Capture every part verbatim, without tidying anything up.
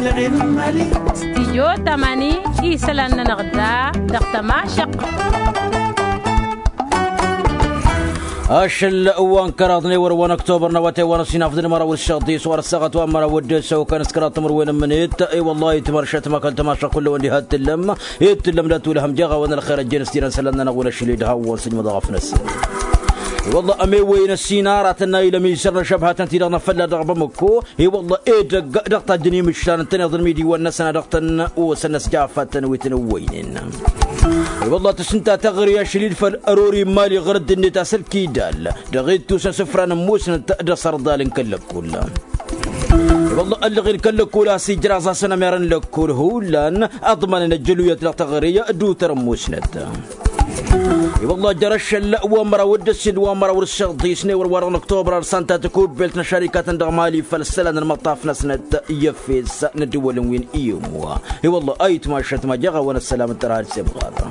Stidyo tamani isălan-nănăɣ da dăɣ-tămašăq. Ašăl wa n-kăraḍ n-ewăr wa n-ăktobăr n-awătay wa n-ăsinafḍăn măraw d-săɣḍis wa n-ăssaɣăt wa n-măraw d-săw kănăskăraḍ timǝrwen n-mǝnit. I-wăllah itmăršăt măkăl tămašăq kull-wăn diha t-tǝllăm. Itǝllăm d-atulhăm jeɣ-awăn ălxer ăjjeen s-tirăn isălan-nănăɣ wi n-ašli d-hawăn s-ijmăḍ ɣăf-năsăn. I-wăllah ămewăyăn ăssinarătăn n-a ilăm isăr n-ašăbhătăn-ti-dăɣ n-afălla dăɣ-bamăko. I-wăllah edăgg dăɣ-tajjăn imǝšlan ǝntăneḍ n-imidiwăn-năsăn a dăɣ-tăn-osăn n-ăsjafătăn wi tăn-ǝwwăynen. I-wăllah tǝsǝnta taɣri ašăl-dd făll-ărori n-imali ɣur-dd-net a-s ălkidal dăɣ-ittus n-isǝfra n-ămmusnăt d-asărḍal n-kăl-lăkkul. I-wăllah ăllăɣen kăl-lăkkul a-s ijraẓ-asăn ămer n-lăkkul hullan ăḍmanăn ăjjăluyăt dăɣ-taɣri d-utăr ămmusnăt. I-wăllah jăr-ašăl wa n-măraw d-ǝssin d-wa n-măraw d-săḍis n-ewăr wa dăɣ-năktobăr ărsanta tikubbelt n-ašarikatăn dăɣ-mali făll-isălan n-imăṭṭaf-năsnăt i-efes n-ăddǝwălăn wi n-iyǝm wa. I-wăllah ayǝtmašăt ma jeɣ-awăn ăssălam d-tărha d-semɣaḍa.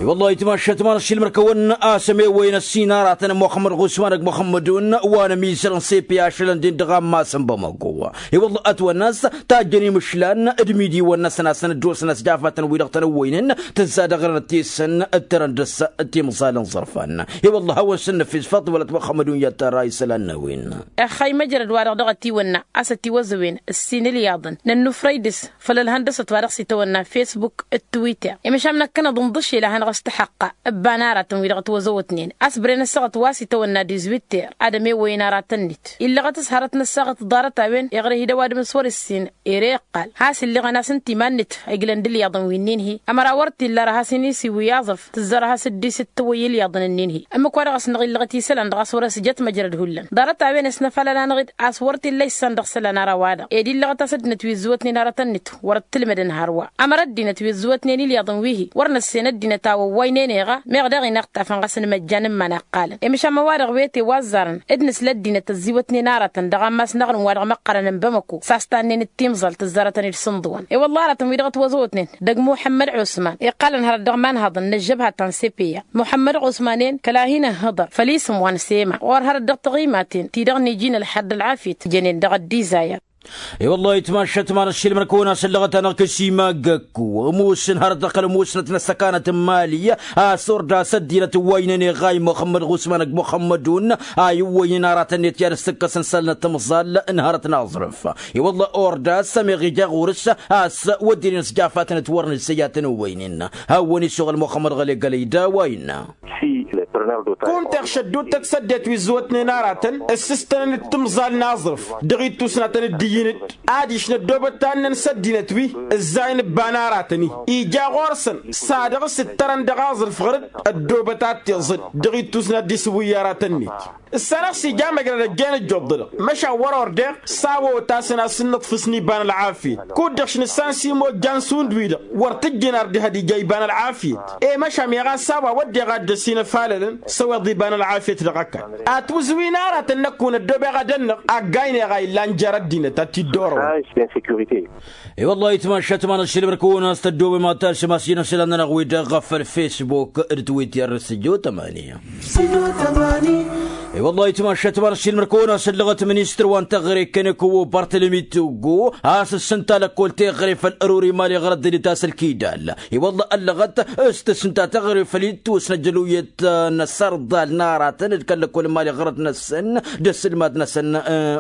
I-wăllah ayǝtmašăt ma n-ašilmăr-kăwăn a-s ămewăyăn ăssin aratăn n-muxămmăd ɣusman ăgg muxămmădun wa n-ămizăr n-sepe ašălăn-den dăɣ-ammas n-bamăko. I-wăllah ătwănna a-s tajjăn imǝšlan d-imidiwăn-năsăn a-s ănăddosăn ăsjafătăn wi-dăɣ tăn-ǝwwăynen tǝzza dăɣ-răn ăttesăn d-tărăn dăr-s timẓal n-iẓărfan. I-wăllah a-wen s-ǝnnǝfis făḍ wălăt muxămmădun i-ad-tărra isălan n-a-wen. Ixxay măjrăd wa-dăɣ dăɣ-ătiwănna a-s ătiwăzăwen ǝssin ilyaḍăn nănnufrăy dăr-s făll-ălhăndăsăt wa dăɣ-s itawănna facebook d-twitter i-măšan năkkănăḍ ǝnḍǝšel a hanăɣ-s tăxăqqa. Ǝbba n-aratăn wi-dăɣ ătwăzăwătnen a-s bren ăssaɣăt wa s-itawănna dizwitter ad-ămewăyăn aratăn-net illăɣăt s-hărăt n-ăssaɣăt ḍarăt-a-wen iɣrǝh-dd ăwadǝm s-wăr-ǝssin. Ere iqqal has-illeɣăn a-s ǝnta iman-net a iglăn d-ilyaḍăn wi-nin-hi. Ămăra wăr t-illa ara has-inisiwǝy aẓrǝf tǝzzar has-dd-isǝttǝwăy ilyaḍăn-nin-hi. Ǝmmǝk wa dăɣ-s năɣ illăɣăt isălan dăɣ-a-s wăr-ăsjăt măjrăd hullan ḍarăt-a-wen s-năfalăl-anăɣ-dd a-s wăr t-illa issan dăɣ-isălan ara-wa-dăɣ ed illăɣăt a-s ăddinăt wi ǝzzǝwătnen aratăn-net wăr ăttǝlmădăn hărwa. Ămăra ăddinăt wi ǝzzǝwătnen ilyaḍăn wi-hi wăr năssen ăddinăt a wăwwaynen eɣa meɣ daɣ-in iɣtafăn ɣas n-imăjjan n-iman a ǝqqalăn i-măšan ma wa-dăɣ wete wa ăzzarăn d-nǝsla ăddinăt ăzziwătnen aratăn dăɣ-ammas n-aɣrǝm wa dăɣ-măqqărăn n-bamăko s-a-s tannen d-timẓalt tǝzzarătăn-dd sǝnḍǝwăn. I-wălla aratăn wi-dăɣ ătwăzăwătnen dăgg muḥămmăd ɣusman iqqalăn hărăt dăɣ-imanhăḍăn n-ăžžăbha ta n-sepeya muḥămmăd ɣusman-en kăla hin-ǝhhǝḍăr făll-isǝm wa n-sema ɣur-hărăt dăɣ-taɣimaten ti-dăɣ n-iji n-ălḥăr d-ălɣafyăt jănen dăɣ-ăddin zayăr. I-wăllah itmašăt ma n-ăššilmăn-kăwăn a-s ăllăɣăt-anăɣ kăsimagăkku ămoosăn hărăt dăɣ-kăl-ămoosnăt n-ăssăkanăt n-mali a-s orda a-s ăddinăt ǝwwăynen iɣay muxămmăd ɣusman ăgg muxămmădun a iwwăynen aratăn-net i-ad-ăssǝkkăsăn isălan n-timẓal n-hărăt n-aẓrǝf. I-wălla orda a-s ămeɣ ija ɣur-s a-s wădden-in s-jafatăn-t wăr nǝssăy ad-tăn-ǝwwăynen. Hawăn-isuɣǝl muxămmăd ɣăle gălăy d-a-wa innă. Kunta iɣšăd dd-uttăt s-ăddinăt wi ǝzzǝwătnen aratăn ǝssǝstănăn d-timẓal n-aẓrǝf dăɣ-ittusnatăn dd-iyyǝn-dd ad-išna ăddoobăt tannăn s-ăddinăt wi ǝzzayăn ǝbban aratăn-i ija ɣur-săn s-ad-dăɣ-s ǝttărăn dăɣ-aẓrǝf ɣăr-dd. Ăddoobăt ad-t-iẓǝd dăɣ-ittusna dd-isǝwǝyy aratăn-net. S-anăɣ-s ija măjrăd ăjjeen ǝjjuḍ-dăɣ măšan wăr-ordeɣ s-a-wa otasăn a-s ǝnnǝḍfǝsăn iba n-ălɣafyăt kud-dăɣ šnǝssan s-imojjan šund-wi-dăɣ wăr tǝjjǝn ar dd-ihăd ija iba n-ălɣafyăt. E măšan meɣ a-s a-wa wădden ad-dd-ăsinăfalălăn s-ăweḍ iba n-ălɣafyăt dăɣ-ăkall. Atwǝzwin aratăn năkkun ăddoobeɣ ad-ănnăɣ aggaynăɣ a illan jer-ăddinăt ad-t-dd-orăwăn. I-wăllah itmašat ma n-ăššilmăr-kăwăn a-s tăddoobem ad-talsăm a-s ijăn isălan-nănăɣ-wi-dăɣ făll-facebook d-twitter s-ǝjjo tămani. I-wăllah itmašat ma n-ăššilmăr-kăwăn a-s ăllăɣăt ministăr wa n-teɣăre kăneko bartălămi tuggo a-s ǝssǝnta lăkkol teɣăre făll-ărori mali ɣărăt dăd-itas ălkidal. I-wăllah ăllăɣăt s-tǝssǝnta teɣăre făll-ittus n-ăjăluyăt n-asărḍal n-aratăn d-kăl-lăkkol n-mali ɣărăt-năsăn d-ăssǝlmad-năsăn.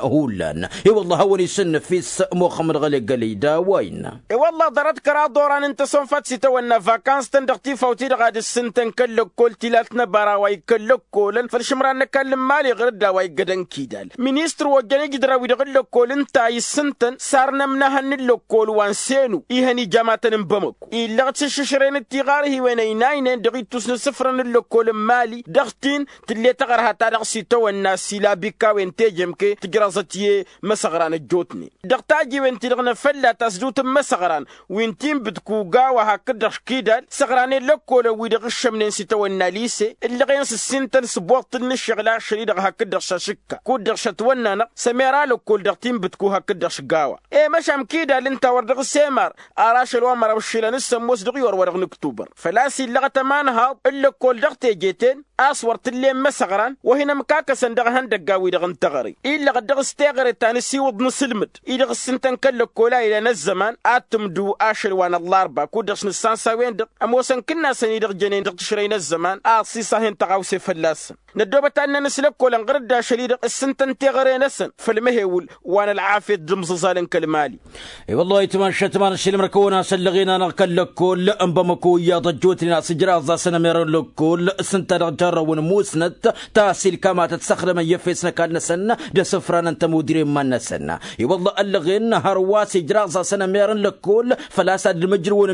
Hullan i-wăllah a hawăn-isǝnnǝf-i s-muxămmăd ɣăle gălăy d-a-wa innă. I-wălla ḍarăt kăraḍ oran n-tăsonfăt s-itawănna vakans-tăn dăɣ-tifaw-ti-dăɣ ad-ǝssǝntăn kăl-lăkkol tilalt n-ăbara wa ikkăl-lăkkolăn făll-išǝmran n-ăkall n-imali ɣur-dd a-wa iggădăn kidal. Ministăr wa ojjăn ijdărawi dăɣ-ǝllăkkol ǝnta a issǝntăn s-arnămnăhăn n-ǝllăkkol wa n-senu ihăn ijamătăn n-bamăko. Illăɣ-t s-išǝšren d-tiɣarhiwen ăynaynen dăɣ-ittus n-isǝfrăn n-ǝllăkkol n-imali dăɣ-tin tǝlle tăɣărha ta dăɣ-s itawănna s-ila bikkawen tejămke tǝjraẓăt i-imăsăɣra n-ăjjootnen dăɣ-tajiwen-ti-dăɣ n-afălla ta s-dut n-imăsăɣran wi n-tinbǝd kuga wa hakd-dăɣ kidal săɣranen lăkkolăn-wi-dăɣ ǝššămnen s-itawănna lise. Ǝllăɣen s-ǝssintăn s-boṭṭǝl n-ǝššăɣlaš. i-dăɣ hakd-dăɣ šašǝkka kud-dăɣ šătwănna-năɣ s-ămera lăkkol dăɣ-tinbǝtku hakd-dăɣ šgawa. E-măšan kidal ǝnta wăr dăɣ-s emar ar ašăl wa n-măraw ǝššǝlăn s-ămoos dăɣ-iwăr wa dăɣ-nǝktubăr făl-a-s illăɣăt ămanhaḍ n-lăkkol dăɣ-teje-ten a-s wăr t-ǝllen măsăɣran wa hin-ămkakăsăn dăɣ-ihăndăggan-wi-dăɣ n-teɣăre. Illăɣăt dăɣ-s teɣăre ta n-ǝsiwǝḍ n-asǝlmǝd i-dăɣ ǝssǝntăn kăl-lăkkol a ilan ăzzăman ad-tǝmdǝw ašăl wa n-ăllarba kud-dăɣ s-nǝssansa a-wen-dăɣ ămoosăn kǝnnasăn-i-dăɣ jănen dăɣ-tǝšrăy n-ăzzăman a ăṣṣiṣa hin-tăɣawse fălla-săn. Năddoobăt ad-nănăs lăkkolăn ɣur-dd ašăl-i-dăɣ ǝssǝntăn teɣăre-năsăn făll-mehewǝl wa n-ălɣafyăt d-imẓǝẓal n-kăl-mali. I-wăllah itmašat ma n-ašilmăr-kăwăn-asăn lăɣen-anăɣ kăl-lăkkol n-bamăko iyyăḍ ăjjootnen a-s ǝjraẓ-asăn ămer n-lăkkol s-ǝnta dăɣ-jarrăwăn musnăt ta s-ilkamatăt s-ăxdămăn i-efes n-ăkall-năsăn d-asǝfranăn tămudre n-iman-năsăn. I-wăllah ăllăɣen hărwa s-ijraẓ-asăn ămer n-lăkkol făl-a-s ad-dd-măjrăwăn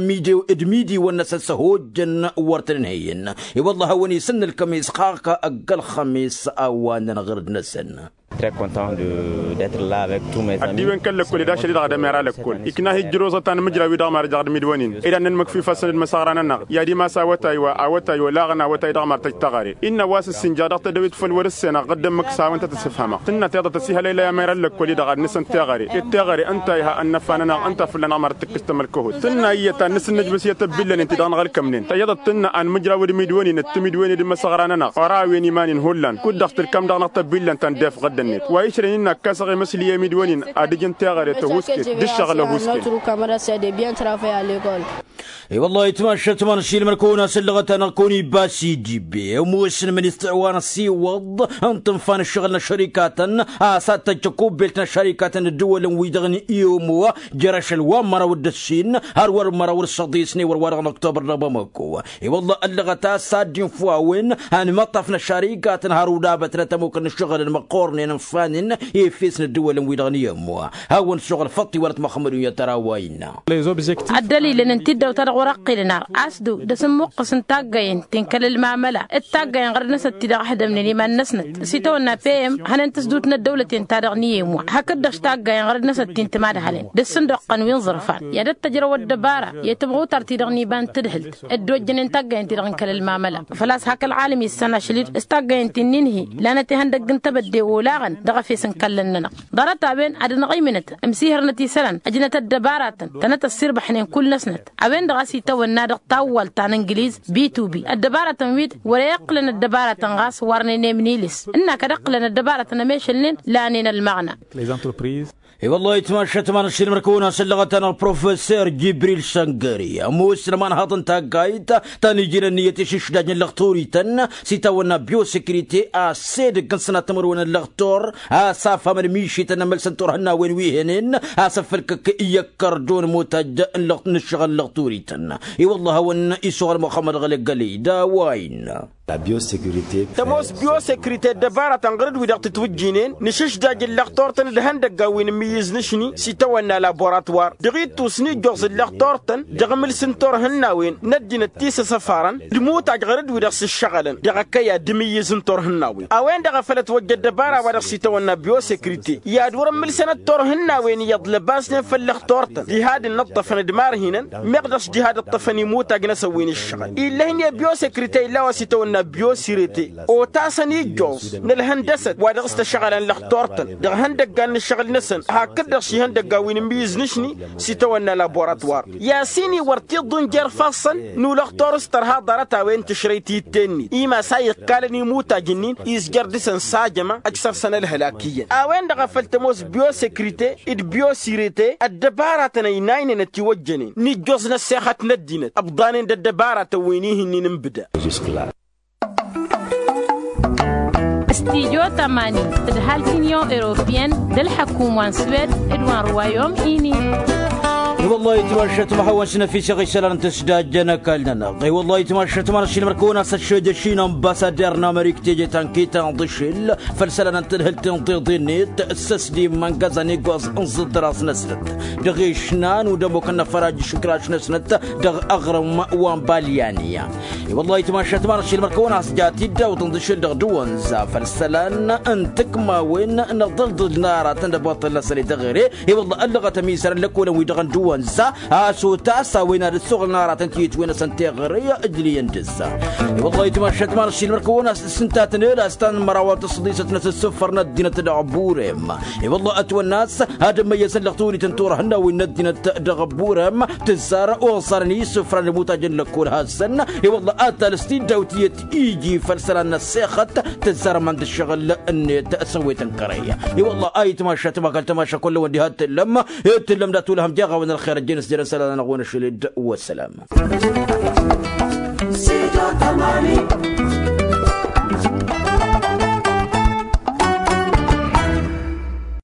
d-midiwăn-năsăn s-ăhojjăn wăr tăn-ǝnhăyăn. I-wăllah a-wen isǝnnǝlkăm isxaɣ kăgg-ălxămis a-wa ǝnnăn ɣǝrǝd-năsăn. Addiwen kăl-lăkkol ed ašăl-i-dăɣ d-emera lăkkol ikna-hi ǝjrǝwẓăt anmǝjraw-i-dăɣ mad-ăjăɣ d-imidwăn-in ed ad-nǝnmǝkfifăsăn d-imăsăɣran-anăɣ i-ad-imas awătay wa awătay olaɣăn awătay-dăɣ mad-tăj teɣăre. Innă a-wa s-ǝssinjaɣ dăɣ-tădăwit făll-wăr-ǝssenăɣ ɣǝddăn mǝksawen ta tǝssǝfhămăɣ tǝnna tiḍăt ăsifhălăy la i-amera n-lăkkol-i-dăɣ ad-nǝsăn teɣăre d-teɣăre ǝnta a iha ănnăfa-nănăɣ ǝnta a fălla-năɣ mad-tǝkkǝs tămălkăhut tǝnna iyyăt ad-nǝsǝnnǝjbǝs i-tăbbillăn-in ti-dăɣ n-aɣǝlkămnen tăyyăḍăt tǝnna anmǝjrawăd imidwăn-in d-timidwen d-imăsăɣra-nănăɣ ărawăn iman-in hullan kud-dăɣ tǝlkăm dăɣ-năɣ tăbbillăn ta n-def ɣǝddăn-net wa išrăn innă ăkkasăɣ i-măsli i-imidwăn-in ad-ǝjǝn teɣăre tăhusket d-ǝššăɣǝl ăhusket. I-wăllah itmašat ma n-ašilmăr-kăwăn-asăn lăɣăt-anăɣ kăwăn-ibas idibbe ămoosăn ministăr wa n-ăsiwăḍ n-tǝnfa n-ǝššăɣǝl n-ăššărikatăn a-s ad-tăjj ăkubbelt n-ăššărikatăn d-ǝddǝwălăn-wi-dăɣ n-iomo jer-ašăl wa n-măraw d-ǝssin har wăr măraw d-săḍisne wăr wa dăɣ-n ăktobăr dăɣ-bamăko. I-wălla ăllăɣăt a-s ad-dd-infǝw a-wen anmăṭṭaf n-ăššărikatăn har udabătnăt ămukăn n-ǝššăɣǝlăn măqqornen ǝnfanen efes n-ǝddǝwălăn-wi-dăɣ n-iomo. Hawăn-suɣǝl făṭṭi wăr-ătmăxmădun i-ad-tărawayna. Ăddălilăn n-tiddawt-ta-dăɣ wăr-ăqqilăn ar asdǝw d-asǝmmuqqǝs n-taggayen ti n-kăl-ălmamăla d-taggayen ɣărăd-năsnăt ti-dăɣ ăhdămnen iman-năsnăt s-itawănna pm hănen tǝsdut n-ăddăwlăten-ta-dăɣ n-iyyem wa hakd-dăɣ taggayen ɣărăd-năsnăt ti n-timadhalen d-asǝndoqqăn wi n-iẓărfan i-ad-ăttăjrăw ăddăbara i-tamɣutar-ti-dăɣ n-iba n-tadhǝlt ăddojjănen taggayen-ti-dăɣ n-kăl-ălmamăla. Făl-a-s hak ălɣalăm issan ašăl-dd s-taggayen ti n-inhi lanăt ihăndăgg n-tebădde olaɣăn dăɣ-efes n-kallăn-nănăɣ ḍarăt-a-wen ad-ănɣăymǝnăt ǝmsihărnăt isălan ăjnăt ăddăbaratăn tănăt-ăssirbăḥnen kull-năsnăt. A-wen-dăɣ a-s itawănna dăɣ-tawwalt ta n-ǝngliz bitubi ăddăbaratăn-wi-dd wăr-e-iqqǝlăn ăddăbaratăn ɣas warnen emnilis ǝnn'-ak ad-ǝqqǝlăn ăddăbaratăn ămešălnen lanen ălmăɣna. I-wăllah itmašat ma n-ašilmăr-kăwăn-asăn lăɣăt-anăɣ professor jibril săngări ămoosăn ămanhaḍ n-taggayt ta n-iji n-ǝnniyăt išǝšdaj n-lăxturităn s-itawănna biosekrite a-s edăgg n-sănat timǝrwen n-lăxtur a-s afhamăn mišităn n-amălsăn turhǝnnawen wi henen a-s ăffălkăk i-ăkkărdon mutaj n-ǝššăɣǝl n-lăxturităn. I-wăllah a hawăn-isuɣăl muxămmăd ɣălăggălăy d-a-wa innă. Tămoos biosekrite ăddăbaratăn ɣur-dd-wi-dăɣ tǝtwǝjjinen nǝšǝšdaj n-lăxtor-tăn d-ihăndăggan wi n-imǝyyǝz nǝšni s-itawănna laboratwar dăɣ-ittus n-ijjoẓ n-lăxtor-tăn dăɣ-imǝls n-turhǝnnawen n-ăddinăt ti s-ăsăfarăn d-imutaj ɣur-dd-wi-dăɣ s-ǝššăɣǝlăn dăɣ-ăkăyad d-imǝyyǝz n-turhǝnnawen. A-wen-dăɣ a făl ătwăjja ăddăbara wa dăɣ-s itawănna biosekrite i-ad-wăr-ǝmmǝlsăn d-turhǝnnawen iyyăḍ lăbasnen făll-lăxtor-tăn diha d-innă ǝṭṭăfăn d-marhinăn meɣ dăɣ-s diha d-ǝṭṭăfăn imutag-năsăn wi n-ǝššăɣǝl ill'-ahin i-biosekrite illa wa s-itawănna biosirete otasăn ijjoẓ n-ălhăndăsăt wa dăɣ-s tăšɣălăn lăxtor-tăn dăɣ-ihăndăggan n-ǝššăɣǝl-năsăn hakd-dăɣ šihăndăggan wi n-imǝyyǝz nǝšni s-itawănna laboratwar. I-asin-i wăr t-iḍǝn jer-ifassăn n-ulăxtor s-tărha ḍarăt-a-wen tǝšrăy ti t-tennit imas a iqqalăn imutaj-ǝnnin izjăr dăɣ-săn s-ajăma ăj săr-săn ălhălak iyyăn. A-wen-dăɣ a făl tămoos biosekrite d-biosirete ăddăbaratăn ăynaynen ătiwăjjănen n-ijjoẓ n-ăssexăt n-ăddinăt ǝbḍanen d-ăddăbaratăn wi n-ihǝnnin n-bǝda. Stijo tămani d-hal t-inyon europiyăn d-ălḥăkum wa n-swed d-wa n-ruwayom ini. I-wăllah itmašat ma hawăn-s năfisăɣ isălan n-tǝsdajjăn ăkall-nănăɣ i-wăllah itmašat ma n-ašilmăr-kăwăn-as ăššăjăš-in ănbasader n-amărik teje ta n-kitan d-ašil făll-isălan n-tadhǝlt n-tiḍe-net s-ăsdimma n-gazan iggoẓ n-iẓǝḍḍăraẓ-năsnăt dăɣ-išnan u-dămok n-afăraj išǝkraš-năsnăt dăɣ-aɣrǝm wa n-balyani. I-wăllah itmašat ma n-ašilmăr-kăwăn-as ja tiddawt n-dăšel dăɣ-dăwănza făll-isălan n-tikmawen n-aḍǝlḍǝl n-aratăn d-ăboṭṭăl-năsăn i-dăɣ-ere. I-wăllah ăllăɣăt ămizăr n-lăkolăn-wi-dăɣ n-dăwănza. Ănza a-s otas a-wen ad-ăssoɣlăn aratăn tiyătwen-năsăn teɣăre ǝjlǝyăn dăr-s. I-wălla ayǝtmašat ma n-ašilmăr kăwăn-as s-ǝnta a tăn-ela s-tanmărawăn tăṣṣăḍisăt-năsăn s-ǝffărăn ăddinăt dăɣ-burem. I-wălla ătwănna a-s ad-ămmăyyăsăn lăɣ tawănităn turăhăn n-a-wen n-ăddinăt dăɣ-burem tǝzzar oẓarăn isǝfran ămutajăn lăkkol hasăn. I-wălla ad-talǝs tiddawt iyyăt iji făll-isălan n-ăssexăt tǝzzar ăman d-ǝššăɣǝl-net s-ăwwet n-kărăy. I-wălla ayǝtmašat ma kăl-tamaša kull-wăn diha t-tǝllăm. Ed tǝllăm dat-ulhăm jeɣ-awăn ălxer ăjjeen s-jere n-isălan-nănăɣ-wen ašăl-dd. Wăssălam.